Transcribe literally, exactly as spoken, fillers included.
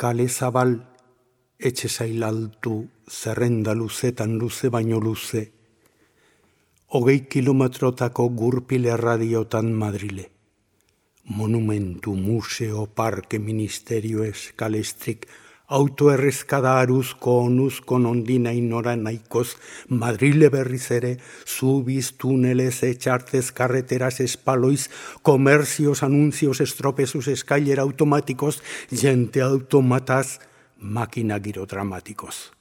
Kale zabal, etxe zailaltu, zerrenda luzetan luze baino luze, hogei kilometrotako gurpile radiotan Madrile. Monumentu, museo, parke, ministerio, eskalestrik, autoerrezkada aruzko, onuzko nondina inora nahikoz, Madrile berriz ere, zubiz, tunelez, etxartez, karreteraz, espaloiz, komerzios, anuncios, estropezuz, eskailera automatikoz, jente automataz, makina giro dramatikoz.